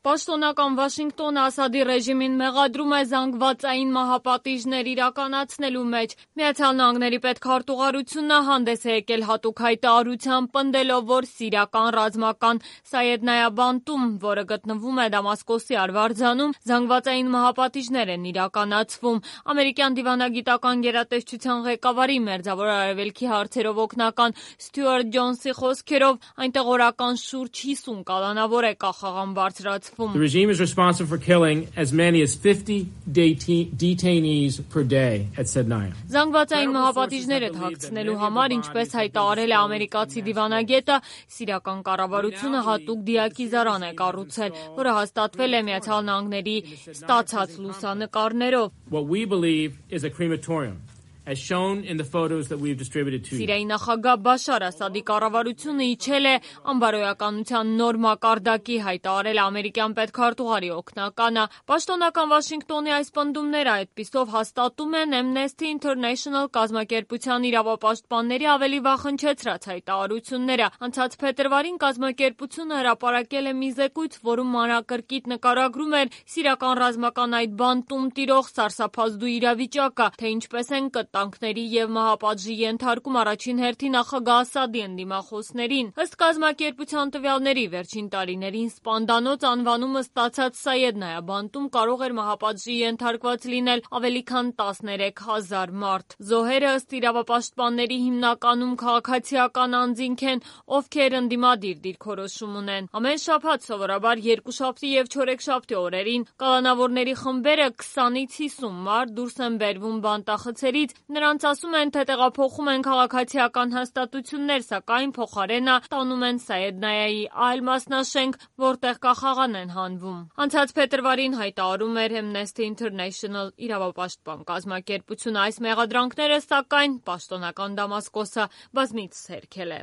Պաշտոնական Վաշինգտոնը Ասադի ռեժիմին մեղադրում է զանգվածային մահապատիժներ իրականացնելու մեջ։ Միացյալ Նահանգների պետքարտուղարությունը հանդես է եկել հատուկ հայտարարությամբ, պնդելով, որ սիրիական ռազմական Սայեդնայա բանտում, որը գտնվում է Դամասկոսի արվարձանում, զանգվածային մահապատիժներ են իրականացվում։ Ամերիկյան դիվանագիտական գերատեսչության ղեկավարի Մերձավոր Արևելքի հարցերով օգնական Ստյուարտ Ջոնսի խոսքերով, այնտեղ օրական շուրջ 50 կալանավոր է կախաղան բարձրացվում։ The regime is responsible for killing as many as 50 detainees per day at Sednaya. Զանգվածային մահապատիժները թաքցնելու համար, ինչպես հայտարարել է ամերիկացի դիվանագետը, սիրիական կառավարությունը հատուկ դիակիզարան է կառուցել, որը հաստատվել է Միացյալ Նահանգների ստացած լուսանկարներով։ What we believe is a crematorium, as shown in the photos that we've distributed to you. Սիրիայի նախագահ Բաշար Ասադի կառավարությունը իջել է անբարոյականության նոր մակարդակի, հայտարարել ամերիկյան պետքարտուղարի օգնականը։ Պաշտոնական Վաշինգտոնի այս պնդումները այդպիսով հաստատում են Amnesty International կազմակերպության իրավապաշտպանների ավելի վաղ հնչեցրած հայտարարությունները։ Անցած փետրվարին կազմակերպությունը հրապարակել է մի զեկույց, որում մանրակրկիտ նկարագրում էր սիրիական ռազմական այդ բանտում տիրող սարսափազդու իրավիճակը, թե ինչպես են տանկների և մահապատժի ենթարկում առաջին հերթին նախագահ Ասադի ընդդիմախոսներին։ Ըստ կազմակերպության տվյալների, վերջին տարիներին սպանդանոց անվանումը ստացած Սայեդնայա բանտում կարող էր մահապատժի ենթարկված լինել ավելի քան 13,000 մարդ։ Զոհերը ըստ իրավապաշտպանների հիմնականում քաղաքացիական անձինք են, ովքեր ընդդիմադիր դիրքորոշում ունեն։ Ամեն շաբաթ սովորաբար երկուշաբթի և չորեքշաբթի օրերին կալանավորների խմբերը 20-ից 50 մարդ դուրս են բերվում բանտախցերից։ Նրանց ասում են, թե տեղափոխում են քաղաքացիական հաստատություններ, սակայն փոխարենը տանում են Սայեդնայայի այլ մասնաշենք, որտեղ կախաղան են հանվում։ Անցած փետրվարին հայտարարում էր Amnesty International իրավապաշտպան կազմակերպությունը։ Այս մեղադրանքները, սակայն, պաշտոնական Դամասկոսը բազմիցս հերքել է։